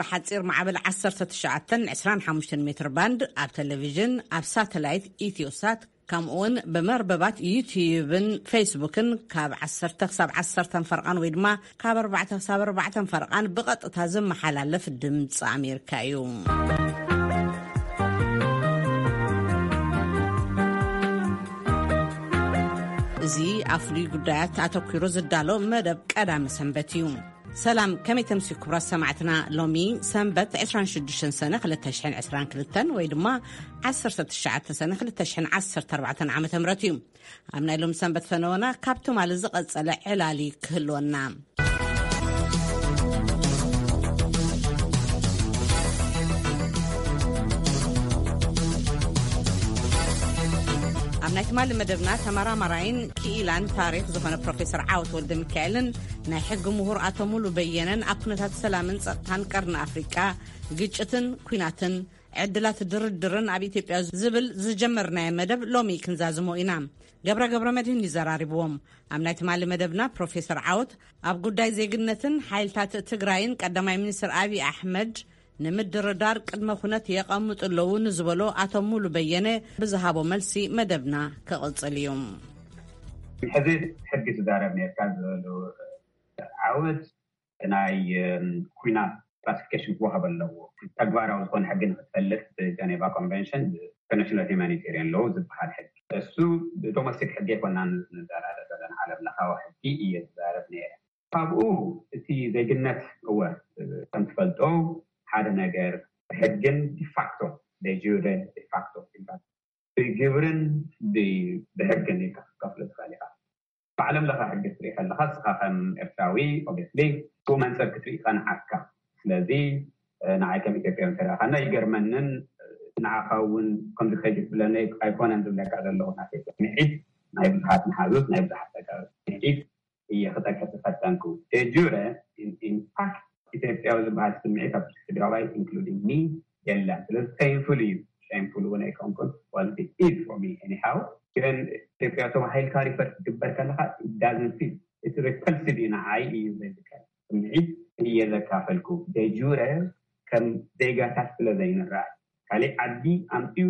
ብሓጺር ማዕበል ዓሰርተ ትሽዓተን ዕስራን ሓሙሽተን ሜትር ባንድ፣ ኣብ ቴሌቪዥን፣ ኣብ ሳተላይት ኢትዮሳት፣ ከምኡውን ብመርበባት ዩቲዩብን ፌስቡክን ካብ ዓሰርተ ክሳብ ዓሰርተ ፈርቓን ወይ ድማ ካብ ኣርባዕተ ክሳብ ኣርባዕተ ፈርቓን ብቐጥታ ዝመሓላለፍ ድምፂ ኣሜሪካ እዩ። እዚ ኣብ ፍሉይ ጉዳያት ኣተኲሩ ዝዳሎ መደብ ቀዳሚ ሰንበት እዩ። ሰላም፣ ከመይ ተምስዩ ክቡራት ሰማዕትና? ሎሚ ሰንበት ዕስራን ሽዱሽተን ሰነ ክልተ ሽሕን ዕስራን ክልተን ወይ ድማ ዓሰርተ ትሽዓተ ሰነ ክልተ ሽሕን ዓሰርተ ኣርባዕተን ዓመተ ምህረት እዩ። ኣብ ናይ ሎም ሰንበት ፈነወና ካብ ትማሊ ዝቐጸለ ዕላሊ ክህልወና። ኣብ ናይ ትማሊ መደብና ተመራማራይን ክኢላን ታሪኽ ዝኾነ ፕሮፌሰር ዓወት ወልደ ሚካኤልን ናይ ሕጊ ምሁር ኣቶ ሙሉ በየነን ኣብ ኩነታት ሰላምን ጸጥታን ቀርኒ ኣፍሪቃ፣ ግጭትን ኩናትን፣ ዕድላት ድርድርን ኣብ ኢትዮጵያ ዝብል ዝጀመርናዮ መደብ ሎሚ ክንዛዝሞ ኢና። ገብረ ገብረ መድህን ይዘራርብዎም። ኣብ ናይ ትማሊ መደብና ፕሮፌሰር ዓወት ኣብ ጉዳይ ዜግነትን ሓይልታት ትግራይን ቀዳማይ ሚኒስትር ኣብይ ኣሕመድ ንምድርዳር ቅድመ ኩነት የቐምጡ ኣለዉ ንዝበሎ ኣቶ ሙሉ በየነ ብዝሃቦ መልሲ መደብና ክቕጽል እዩ። ሕዚ ሕጊ ትዛረብ ነርካ ዝበሉ ዓወት ናይ ኩናት ክላሲፊኬሽን ክወሃብ ኣለዎ። ተግባራዊ ዝኾነ ሕጊ ንክትፈልጥ ብጀኔቫ ኮንቨንሽን ኢንተርናሽናል ሂማኒቴሪያን ሎው ዝበሃል ሕጊ፣ እሱ ብዶሜስቲክ ሕጊ ኣይኮናን ንዘራረብ ዘለና፣ ዓለም ለኻዊ ሕጊ እየ ዝዛረብ ነይረ። ካብኡ እቲ ዜግነት፣ እወ፣ ከም ትፈልጦ ሓደ ነገር ብሕግን ዲፋክቶ፣ ደጁረ ዲፋክቶ ይባል። ብግብርን ብ- ብሕግን ኢልካ ክትከፍሎ ትኽእል ኢኻ። ብዓለም ለኸ ሕጊ ክትርኢ ከለኻ፣ እስኻ ከም ኤርትራዊ ኦብቪየስሊ ብኡ መንጽር ክትርኢ ይቐንዓካ። ስለዚ ንዓይ ከም ኢትዮጵያዊ እንተደኣ ኸና ይገርመንን ንዓኻ እውን ከምዚ ከይትብለኒ ኣይኮነን ዝብለካ ዘለኹ። ናተይ ስምዒት ናይ ብዙሓት መሓዙት፣ ናይ ብዙሓት ተጋሩ ስምዒት እየ ክጠቅስ ዝፈተንኩ። ደጁረ ኢንፋክት ኢትዮጵያዊ ዝበሃል ስምዒት ኣብ ትግራዋይ ኢንክሉዲንግ ሚ የለን። ስለዚ ፔንፉል እዩ። ሼምፉል እውን ኣይኮንኩን። ዋል ኢት ኢዝ ፎር ሚ ኤኒሃው። ግን ኢትዮጵያ ተባሂልካ ሪፈር ክትግበር ከለኻ ዳዝን ፊል፣ እቲ ሪፐልሲቭ እዩ፣ ንዓይ እዩ ዘይዝከር። ስምዒት እየ ዘካፈልኩ። ደጁረ ከም ዜጋታት ስለ ዘይንረኣይ፣ ካሊእ ዓዲ ኣምፅዩ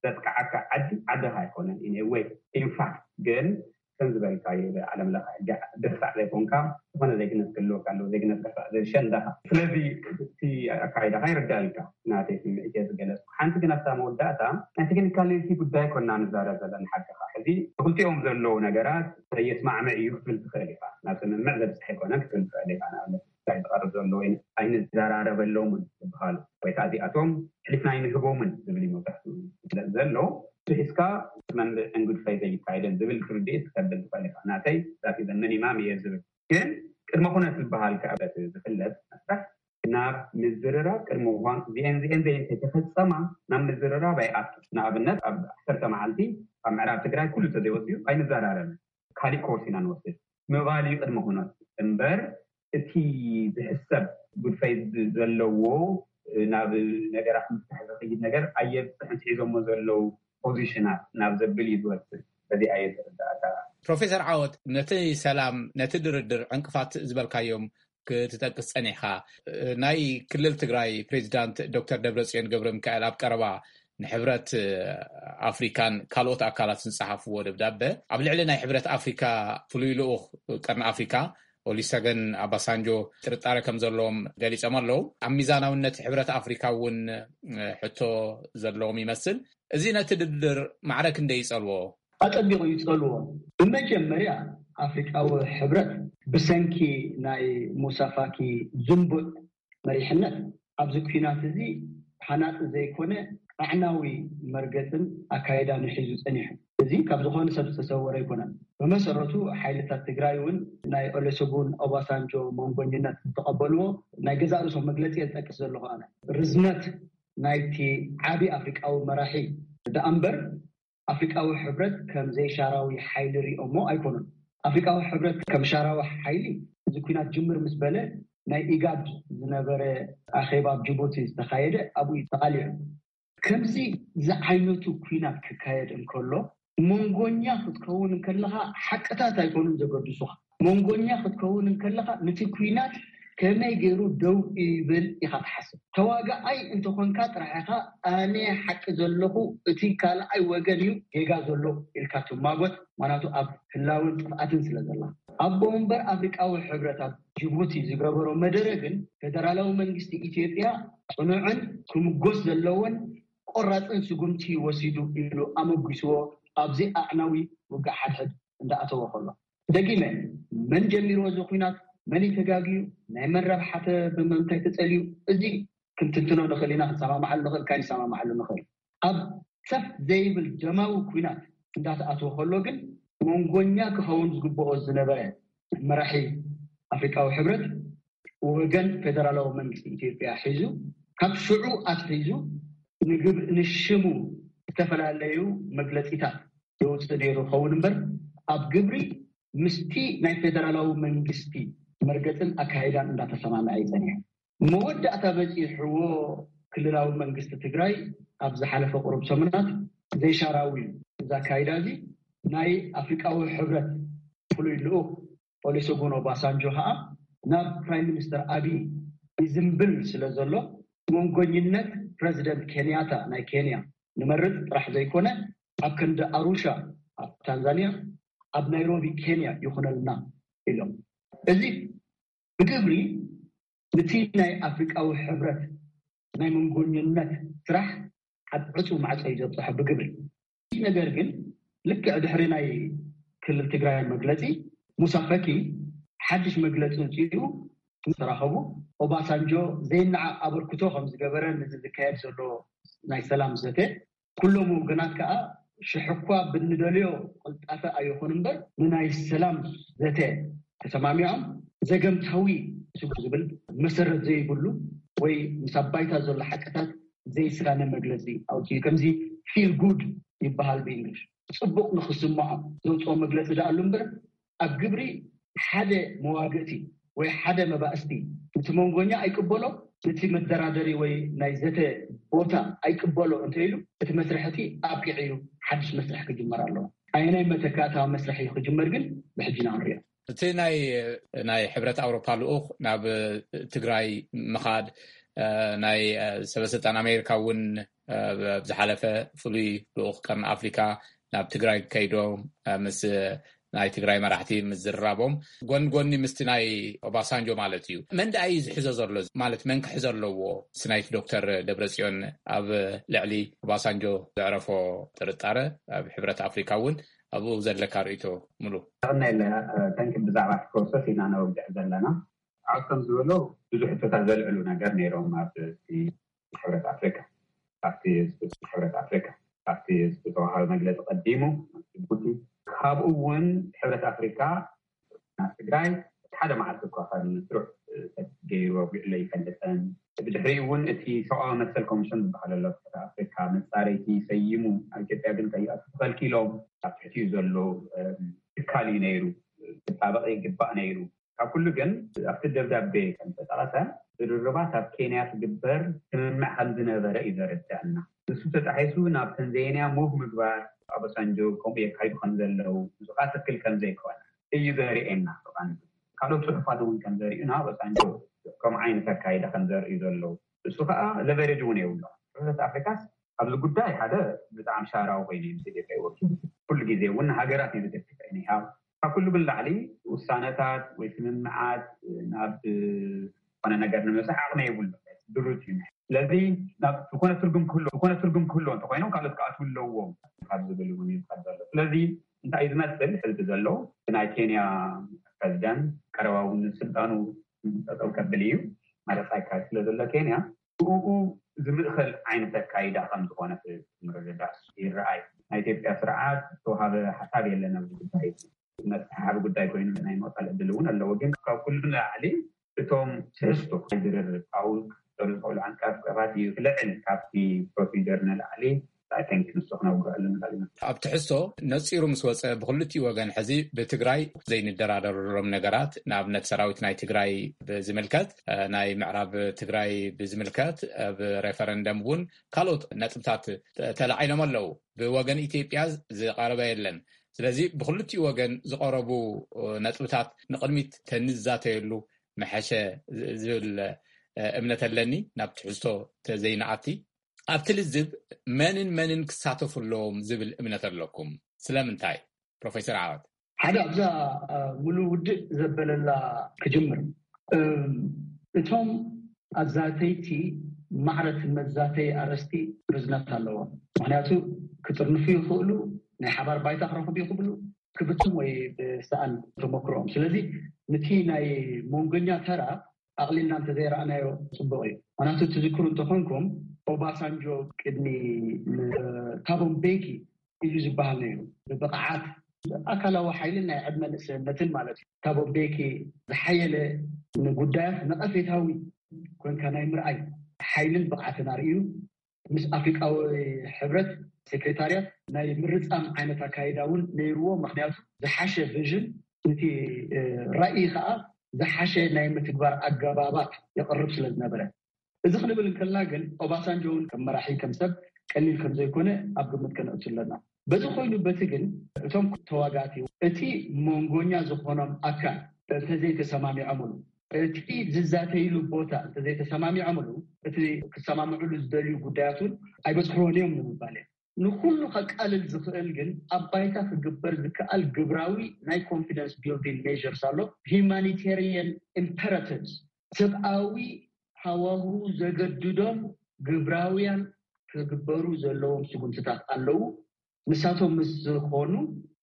ዘጥቅዓካ ዓዲ ዓድኻ ኣይኮነን። ኢን ወይ ኢንፋክት ግን ከም ዝበልካዮ ብዓለም ለኸ ሕጊ ድሕሳዕ ዘይኮንካ ዝኾነ ዜግነት ክህልወካ ኣለዎ። ዜግነት ድሕሳዕ ዘሸንዳኻ። ስለዚ እቲ ኣካይዳኻ ይርዳልካ። ናተይ ስምዒት እየ ዝገለጽኩ። ሓንቲ ግን ኣብታ መወዳእታ ናይ ቴክኒካሊቲ ጉዳይ ኮና ንዛረብ ዘለና ሓቅኻ። ሕዚ ክልቲኦም ዘለዉ ነገራት የስማዕምዕ እዩ ክትብል ትኽእል ኢኻ። ናብ ስምምዕ ዘብጽሕ ኣይኮነን ክትብል ትኽእል ኢኻ። ንኣብነት ጉዳይ ዝቐርብ ዘሎ ወይ ኣይንዘራረበሎምን ዝበሃሉ ወይ ከዓ እዚኣቶም ሕሊፍና ኣይንህቦምን ዝብል እዩ መብዛሕትኡ ዘሎ። ብሒዝካ መንብዕን ጉድፈይ ዘይካየደን ዝብል ርድኢት ክተብል ትኽእል ኢኻ። ናተይ ዛት ዘመን ኢማም እየ ዝብል። ግን ቅድመ ኩነት ዝበሃል ከዓ በቲ ዝፍለጥ መስርሕ ናብ ምዝርራብ ቅድሚ እዋን እዚአን እዚአን ዘይ እንተተፈጸማ ናብ ምዝርራብ ኣይኣቱ። ንኣብነት ኣብ ዓሰርተ መዓልቲ ኣብ ምዕራብ ትግራይ ኩሉ ተዘይወፅዩ ኣይንዘራረብን። ካሊእ ኮርስ ኢና ንወስድ ምባል እዩ ቅድመ ኩነት እምበር እቲ ዝሕሰብ ጉድፈይ ዘለዎ ናብ ነገራት ምፍታሕ ዝኸይድ ነገር ኣየብፅሕን፣ ሒዞሞ ዘለዉ ፖዚሽናት ናብ ዘብል እዩ ዝወስድ። በዚ ኣየ ዝርዳእካ። ፕሮፌሰር ዓወት፣ ነቲ ሰላም፣ ነቲ ድርድር ዕንቅፋት ዝበልካዮም ክትጠቅስ ጸኒሕካ። ናይ ክልል ትግራይ ፕሬዚዳንት ዶክተር ደብረጽዮን ገብረ ሚካኤል ኣብ ቀረባ ንሕብረት ኣፍሪካን ካልኦት ኣካላትን ዝጸሓፍዎ ደብዳበ፣ ኣብ ልዕሊ ናይ ሕብረት ኣፍሪካ ፍሉይ ልኡኽ ቀርኒ ኣፍሪካ ኦሊሰገን ኣባሳንጆ ጥርጣረ ከም ዘለዎም ገሊጾም ኣለዉ። ኣብ ሚዛናውነት ሕብረት ኣፍሪካ እውን ሕቶ ዘለዎም ይመስል። እዚ ነቲ ድርድር ማዕረ ክንደይ ይጸልዎ? ኣጸቢቑ ይጸልዎ። ብመጀመርያ ኣፍሪቃዊ ሕብረት ብሰንኪ ናይ ሙሳ ፋኪ ዝንቡዕ መሪሕነት ኣብዚ ኲናት እዚ ሃናጺ ዘይኮነ ኣዕናዊ መርገጽን ኣካይዳን እዩ ሒዙ ጸኒሑ። እዚ ካብ ዝኾነ ሰብ ዝተሰወረ ኣይኮነን። ብመሰረቱ ሓይልታት ትግራይ እውን ናይ ኦሉሰጉን ኦባሳንጆ መንጎኝነት ዝተቐበልዎ ናይ ገዛእ ርእሶም መግለጺ እየ ዝጠቅስ ዘለኹ። ኣነ ርዝነት ናይቲ ዓቢ ኣፍሪቃዊ መራሒ ደኣ እምበር ኣፍሪቃዊ ሕብረት ከም ዘይሻራዊ ሓይሊ ሪኦሞ ኣይኮኑን። ኣፍሪቃዊ ሕብረት ከም ሻራዊ ሓይሊ እዚ ኲናት ጅምር ምስ በለ ናይ ኢጋድ ዝነበረ ኣኼባ ኣብ ጅቡቲ ዝተኻየደ ኣብኡ እዩ ተቓሊዑ። ከምዚ ዝዓይነቱ ኲናት ክካየድ እንከሎ መንጎኛ ክትከውን እንከለኻ ሓቅታት ኣይኮኑን ዘገድሱኻ። መንጎኛ ክትከውን እንከለኻ ነቲ ኲናት ከመይ ገይሩ ደው ይብል ኢኻ ትሓስብ? ተዋጋኣይ እንተኾንካ ጥራሕ ኢኻ ኣነ ሓቂ ዘለኹ፣ እቲ ካልኣይ ወገን እዩ ጌጋ ዘሎ ኢልካ ትማጎት። ምኽንያቱ ኣብ ህላውን ጥፍኣትን ስለ ዘላ። ኣቦ መንበር ኣፍሪቃዊ ሕብረት ኣብ ጅቡቲ ዝገበሮ መደረ ግን፣ ፌደራላዊ መንግስቲ ኢትዮጵያ ጽኑዕን ክምጎስ ዘለዎን ቆራጽን ስጉምቲ ወሲዱ ኢሉ ኣመጒስዎ። ኣብዚ ኣዕናዊ ውግእ ሓድሕድ እንዳኣተወ ከሎ፣ ደጊመ፣ መን ጀሚርዎ እዚ ኲናት? መን እዩ ተጋግዩ? ናይ መን ረብሓ? ብመንታይ ተጸልዩ? እዚ ክንትንትኖ ንኽእል ኢና፣ ክንሰማማዓሉ ንኽእል፣ ካይንሰማማዓሉ ንኽእል። ኣብ ሰፍ ዘይብል ደማዊ ኲናት እንዳተኣትወ ከሎ ግን፣ መንጎኛ ክኸውን ዝግብኦ ዝነበረ መራሒ ኣፍሪቃዊ ሕብረት፣ ወገን ፌደራላዊ መንግስቲ ኢትዮጵያ ሒዙ፣ ካብ ሽዑ ኣትሒዙ ንግብ-፣ ንሽሙ ዝተፈላለዩ መግለጺታት የውፅእ ነይሩ ኸውን እምበር፣ ኣብ ግብሪ ምስቲ ናይ ፌደራላዊ መንግስቲ መርገፅን ኣካይዳን እንዳተሰማምዐ ይፀኒሑ። መወዳእታ በፂሕዎ ክልላዊ መንግስቲ ትግራይ ኣብ ዝሓለፈ ቁሩብ ሰሙናት ዘይሻራዊ እዚ ኣካይዳ እዚ ናይ ኣፍሪቃዊ ሕብረት ፍሉይ ልኡኽ ኦሉሰጉን ኦባሳንጆ ከዓ ናብ ፕራይም ሚኒስተር ኣቢይ ይዝንብል ስለ ዘሎ፣ መንጎኝነት ፕረዚደንት ኬንያታ ናይ ኬንያ ንመርጽ ጥራሕ ዘይኮነ፣ ኣብ ክንዲ ኣሩሻ ኣብ ታንዛንያ፣ ኣብ ናይሮቢ ኬንያ ይኹነልና ኢሎም። እዚ ብግብሪ ነቲ ናይ ኣፍሪቃዊ ሕብረት ናይ መንጎኝነት ስራሕ ኣብ ዕጹው ማዕጾ እዩ ዘብጽሖ ብግብሪ። ነገር ግን ልክዕ ድሕሪ ናይ ክልል ትግራይ መግለጺ፣ ሙሳ ፈኪ ሓድሽ መግለጺ ውፅኡ ምስ ተራኸቡ፣ ኦባሳንጆ ዘይነዓ ኣበርክቶ ከም ዝገበረ ነዚ ዝካየድ ዘሎ ናይ ሰላም ዘተ፣ ኩሎም ወገናት ከዓ ሽሕ እኳ ብንደልዮ ቅልጣፈ ኣይኹን እምበር ንናይ ሰላም ዘተ ተሰማሚዖም ዘገምታዊ ስጉ ዝብል መሰረት ዘይብሉ ወይ ምስ ኣባይታ ዘሎ ሓቅታት ዘይሳነ መግለፂ ኣውፅኡ። ከምዚ ፊል ጉድ ይበሃል ብእንግሊሽ። ፅቡቕ ንክስምዖም ዘውፅኦ መግለፂ ደኣሉ እምበር ኣብ ግብሪ ሓደ መዋግእቲ ወይ ሓደ መባእስቲ ነቲ መንጎኛ ኣይቅበሎ፣ ነቲ መደራደሪ ወይ ናይ ዘተ ቦታ ኣይቅበሎ እንተ ኢሉ፣ እቲ መስርሕ እቲ ኣብቂዑ እዩ፣ ሓድሽ መስርሕ ክጅመር ኣለዎ። ኣየናይ መተካእታዊ መስርሕ እዩ ክጅመር ግን ብሕጂ ኢና ንሪኦ። እቲ ናይ ናይ ሕብረት ኣውሮፓ ልኡኽ ናብ ትግራይ ምኻድ፣ ናይ ሰበስልጣን ኣሜሪካ እውን ኣብ ዝሓለፈ ፍሉይ ልኡኽ ቀርኒ ኣፍሪካ ናብ ትግራይ ከይዶም ምስ ናይ ትግራይ መራሕቲ ምዝርራቦም ጎን ጎኒ ምስቲ ናይ ኦባሳንጆ ማለት እዩ። መን ደኣ እዩ ዝሕዞ ዘሎ? ማለት መን ክሕዞ ኣለዎ? ስናይት ዶክተር ደብረጽዮን ኣብ ልዕሊ ኦባሳንጆ ዘዕረፎ ጥርጣረ ኣብ ሕብረት ኣፍሪካ እውን ኣብኡ ዘለካ ርእይቶ ሙሉ? ጠቕና የለ። ተንኪ ብዛዕባ እቲ ፕሮሰስ ኢና ነውግዕ ዘለና። ዓውቶም ዝበሎ ብዙሕ ሕቶታት ዘልዕሉ ነገር ነይሮም ኣብ ሕብረት ኣፍሪካ ኣብቲ ስብስብ ሕብረት ኣፍሪካ ኣብቲ ዝተዋሃበ መግለፂ ቀዲሙ ጅቡቲ ካብኡ እውን ሕብረት ኣፍሪካ ናብ ትግራይ ሓደ መዓልቲ እኳ ካብ ስሩዕ ገይሩ ኣውጊዕሎ ይፈልጠን። ብድሕሪኡ እውን እቲ ሰብኣዊ መሰል ኮሚሽን ዝበሃል ኣሎ ኣፍሪካ መፃረይቲ ሰይሙ ኣብ ኢትዮጵያ ግን ከይኣቱ ተኸልኪሎም ኣብ ትሕቲኡ ዘሎ ትካል እዩ ነይሩ። ክጣበቕ ይግባእ ነይሩ። ካብ ኩሉ ግን ኣብቲ ደብዳቤ ከም ተጠቐሰ ዝርርባት ኣብ ኬንያ ትግበር ስምምዕ ከም ዝነበረ እዩ ዘረዳእና። ንሱ ተጣሒሱ ናብ ተንዛኒያ ሙቭ ምግባር ኣበሳንጆ ከምኡ የካይዱ ከም ዘለዉ ንሱ ከዓ ትክክል ከም ዘይኮነ እዩ ዘርእየና። ብቐንዱ ካልኦት ፅሑፋት እውን ከም ዘርእዩና ኣበሳንጆ ከምኡ ዓይነት ኣካይዳ ከም ዘርእዩ ዘለዉ እሱ ከዓ ለቨሬጅ እውን የብሎ። ሕብረት ኣፍሪካስ ኣብዚ ጉዳይ ሓደ ብጣዕሚ ሻራዊ ኮይኑ እዩ ምስ ኢትዮጵያ ይወኪል። ኩሉ ግዜ እውን ንሃገራት እዩ ዝደግፍ። ካብ ኩሉ ብላዕሊ ውሳነታት ወይ ስምምዓት ናብ ዝኾነ ነገር ንምብፃሕ ዓቕሚ የብሉ። ድሩት እዩ። ስለዚ ዝኾነ ትርጉም ክህልዎ እንተኮይኖም ካልኦት ክኣትዉ ኣለዎም ካብ ዝብል እውን እዩ ዝኸድ ዘሎ። ስለዚ እንታይ እዩ ዝመስል ሕዚ ዘሎ ናይ ኬንያ ፕረዚደንት ቀረባ እውን ስልጣኑ ጠጠው ከብል እዩ ማለት ኣይካል ስለ ዘሎ ኬንያ ብኡ ዝምእኸል ዓይነት ኣካይዳ ከም ዝኾነ ምርድዳእ ይረኣይ። ናይ ኢትዮጵያ ስርዓት ዝተዋሃበ ሓሳብ የለን ኣብዚ ጉዳይ። መተሓሓቢ ጉዳይ ኮይኑ ናይ ምቕፃል ዕድል እውን ኣለዎ። ግን ካብ ኩሉ ንላዕሊ እቶም ትሕዝቶ ናይ ዝርርብ ኣብኡ ክፍጠሩ ዝኽእሉ ዓንቀፋት እዩ ክልዕል ካብቲ ፕሮሲጀር ንላዕሊ ንሱ ክነውግዐሉ ንኽእል ኢና። ኣብ ትሕዝቶ ነፂሩ ምስ ወፀ ብክልቲኡ ወገን ሕዚ ብትግራይ ዘይንደራደረሎም ነገራት ንኣብነት ሰራዊት ናይ ትግራይ ብዝምልከት ናይ ምዕራብ ትግራይ ብዝምልከት ኣብ ሬፈረንደም እውን ካልኦት ነጥብታት ተላዒሎም ኣለዉ። ብወገን ኢትዮጵያ ዝቐረበ የለን። ስለዚ ብክልቲኡ ወገን ዝቐረቡ ነጥብታት ንቕድሚት ተንዛተየሉ መሐሸ ዝብል እምነት ኣለኒ። ናብ ትሕዝቶ ተዘይንኣቲ፣ ኣብቲ ልዝብ መንን መንን ክሳተፉ ኣለዎም ዝብል እምነት ኣለኩም? ስለምንታይ? ፕሮፌሰር ዓወት። ሓደ ኣብዛ ሙሉ ውድእ ዘበለላ ክጅምር፣ እቶም ኣዛተይቲ ማዕረት መዛተይ ኣረስቲ ርዝነት ኣለዎም። ምክንያቱ ክጥርንፉ ይኽእሉ፣ ናይ ሓባር ባይታ ክረኽቡ ይኽእሉ፣ ክብትም ወይ ብሰኣን ተመክሮኦም። ስለዚ ነቲ ናይ መንጎኛ ተራ ኣቕሊልና እንተዘይረኣናዮ ጽቡቕ እዩ። ምክንያቱ ትዝክሩ እንተኾንኩም፣ ኦባሳንጆ ቅድሚ ታቦ ምቤኪ ኢሉ ዝበሃል ነይሩ። ብብቕዓት፣ ኣካላዊ ሓይልን ናይ ዕድመ ንእስነትን ማለት እዩ። ታቦ ምቤኪ ዝሓየለ፣ ንጉዳያት ነቐፌታዊ ኮንካ ናይ ምርኣይ ሓይልን ብቕዓትን ኣርእዩ፣ ምስ ኣፍሪቃዊ ሕብረት ሴክሬታርያት ናይ ምርጻም ዓይነት ኣካይዳ እውን ነይርዎ። ምክንያቱ ዝሓሸ ቪዥን፣ እቲ ራእይ ከዓ ዝሓሸ ናይ ምትግባር ኣገባባት የቕርብ ስለ ዝነበረ። እዚ ክንብል እንከልና ግን ኦባሳንጆ እውን ከም መራሒ፣ ከም ሰብ ቀሊል ከም ዘይኮነ ኣብ ግምት ከነእቱ ኣለና። በዚ ኮይኑ በቲ ግን እቶም ተዋጋእቲ እቲ መንጎኛ ዝኾኖም ኣካል እንተዘይተሰማሚዖምሉ፣ እቲ ዝዛተይሉ ቦታ እንተዘይተሰማሚዖምሉ፣ እቲ ክሰማምዕሉ ዝደልዩ ጉዳያት እውን ኣይበፅሕዎን እዮም ንምባል እየ። ንኩሉ ከቃልል ዝኽእል ግን ኣብ ባይታ ክግበር ዝከኣል ግብራዊ ናይ ኮንፊደንስ ቢልዲንግ ሜዥርስ ኣሎ። ሂማኒቴሪየን ኢምፐራቲቭስ፣ ሰብኣዊ ሃዋሁ ዘገድዶም ግብራውያን ክግበሩ ዘለዎም ስጉምትታት ኣለዉ። ንሳቶም ምስ ዝኾኑ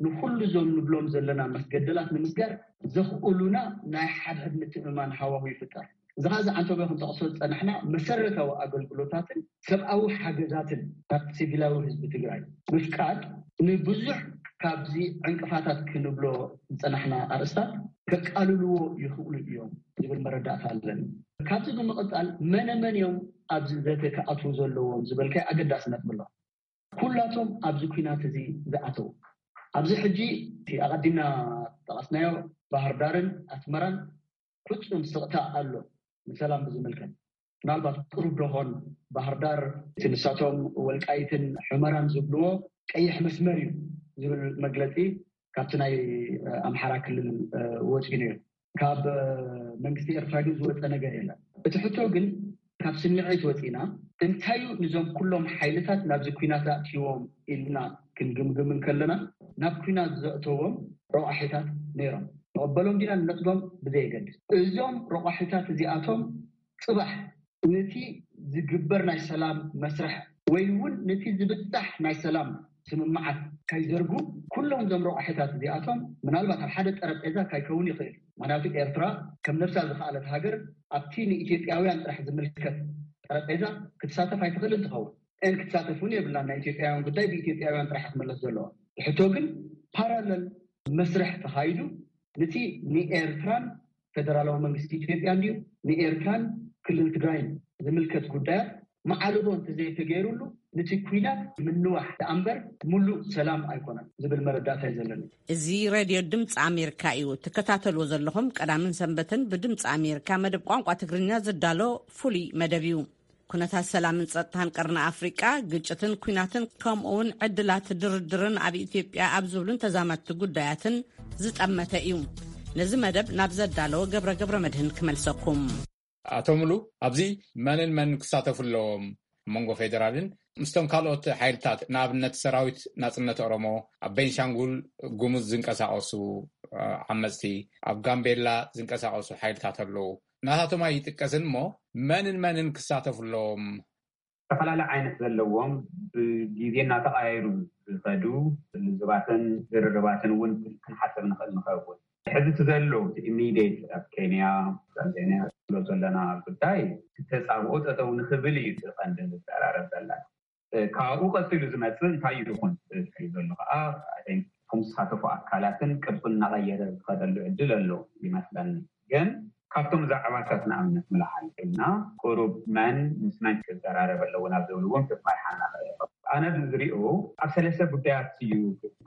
ንኩሉ እዞም ንብሎም ዘለና መስገደላት ንምስጋር ዘኽእሉና ናይ ሓድሕድ ምትእምማን ሃዋሁ ይፍጠር። እዚ ኸዓ ዝዓንተበ ክንጠቕሶ ዝጸናሕና መሰረታዊ ኣገልግሎታትን ሰብኣዊ ሓገዛትን ናብ ሲቪላዊ ህዝቢ ትግራይ ምፍቃድ ንብዙሕ ካብዚ ዕንቅፋታት ክንብሎ ዝጸናሕና ኣርእስታት ከቃልልዎ ይኽእሉ እዮም ዝብል መረዳእታ ኣለኒ። ካብዚ ብምቕጻል መነ መን እዮም ኣብዚ ዘተ ክኣትዉ ዘለዎም ዝበልካይ ኣገዳሲ ነጥቢ ኣሎ። ኩላቶም ኣብዚ ኲናት እዚ ዝኣተዉ፣ ኣብዚ ሕጂ እቲ ኣቐዲምና ዝጠቐስናዮ ባህር ዳርን ኣስመራን ፍጹም ስቕታ ኣሎ። ንሰላም ብዝምልከት ምናልባት ቅሩብ ደኾን ባህር ዳር እቲ ንሳቶም ወልቃይትን ሑመራን ዝብልዎ ቀይሕ መስመር እዩ ዝብል መግለጺ ካብቲ ናይ ኣምሓራ ክልል ወፂኡ ነይሩ። ካብ መንግስቲ ኤርትራ ግን ዝወፀ ነገር የለን። እቲ ሕቶ ግን ካብ ስምዒት ወፂና እንታዩ ንዞም ኩሎም ሓይልታት ናብዚ ኲናት ኣእትይዎም ኢልና ክንግምግም እንከለና፣ ናብ ኲናት ዘእተዎም ረቋሒታት ነይሮም። ንቐበሎም ዲና ንነፅጎም ብዘየገድስ፣ እዞም ረቋሒታት እዚኣቶም ፅባሕ ነቲ ዝግበር ናይ ሰላም መስርሕ ወይ እውን ነቲ ዝብጻሕ ናይ ሰላም ስምምዓት ካይዘርጉ፣ ኩሎም እዞም ረቋሒታት እዚኣቶም ምናልባት ኣብ ሓደ ጠረጴዛ ካይከውን ይኽእል። ምክንያቱ ኤርትራ ከም ነብሳ ዝኸኣለት ሃገር ኣብቲ ንኢትዮጵያውያን ጥራሕ ዝምልከት ጠረጴዛ ክትሳተፍ ኣይትኽእልን ትኸውን። እን ክትሳተፍ እውን የብላን። ናይ ኢትዮጵያውያን ጉዳይ ብኢትዮጵያውያን ጥራሕ ክምለስ ዘለዎ። ሕቶ ግን ፓራለል መስርሕ ተኻይዱ፣ ነቲ ንኤርትራን ፌደራላዊ መንግስቲ ኢትዮጵያ እንድዩ ንኤርትራን ክልል ትግራይን ዝምልከት ጉዳያት ማዕርቦ እንተዘይተገይሩሉ፣ ነቲ ኲናት ምንዋሕ ደኣ እምበር ምሉእ ሰላም ኣይኮነን ዝብል መረዳእታ እዩ ዘለኒ። እዚ ሬድዮ ድምፂ ኣሜሪካ እዩ ትከታተልዎ ዘለኹም። ቀዳምን ሰንበትን ብድምፂ ኣሜሪካ መደብ ቋንቋ ትግርኛ ዝዳሎ ፍሉይ መደብ እዩ። ኩነታት ሰላምን ጸጥታን ቀርኒ ኣፍሪቃ፣ ግጭትን ኲናትን፣ ከምኡ እውን ዕድላት ድርድርን ኣብ ኢትዮጵያ ኣብ ዝብሉን ተዛመድቲ ጉዳያትን ዝጠመተ እዩ። ነዚ መደብ ናብ ዘዳለወ ገብረ ገብረ መድህን ክመልሰኩም። ኣቶ ሙሉ፣ ኣብዚ መንን መን ክሳተፉ ኣለዎም? ኣብ መንጎ ፌደራልን ምስቶም ካልኦት ሓይልታት፣ ንኣብነት ሰራዊት ናጽነት ኦሮሞ፣ ኣብ ቤንሻንጉል ጉሙዝ ዝንቀሳቐሱ ዓመጽቲ፣ ኣብ ጋምቤላ ዝንቀሳቐሱ ሓይልታት ኣለዉ። ናታቶም ኣይጥቀስን እሞ መንን መንን ክሳተፉ ኣለዎም? ዝተፈላለየ ዓይነት ዘለዎም፣ ብግዜ እናተቐያየሩ ዝኸዱ ልዝባትን ዝርርባትን እውን ክንሓስብ ንኽእል ንኸውን። ሕዚ እቲ ዘሎ፣ እቲ ኢሚዲየት ኣብ ኬንያ፣ ታንዛንያ ንብሎ ዘለና ጉዳይ፣ እቲ ተጻብኦ ጠጠው ንኽብል እዩ እቲ ቀንዲ ንዘራረብ ዘለና። ካብኡ ቀጺሉ ዝመጽእ እንታይ ይኹን ዝብል ዘሎ ከዓ፣ ከም ዝሳተፉ ኣካላትን ቅርጹ እናቐየረ ዝኸደሉ ዕድል ኣሎ ይመስለኒ። ግን ካብቶም ዛዕባታት ንኣብነት ንልዓል ኢልና፣ ቁሩብ መን ምስ መን ክዘራረብ ኣለዎ ናብ ዝብል እውን ክትመርሓና ክእል። ኣነ ዝሪኦ ኣብ ሰለስተ ጉዳያት እዩ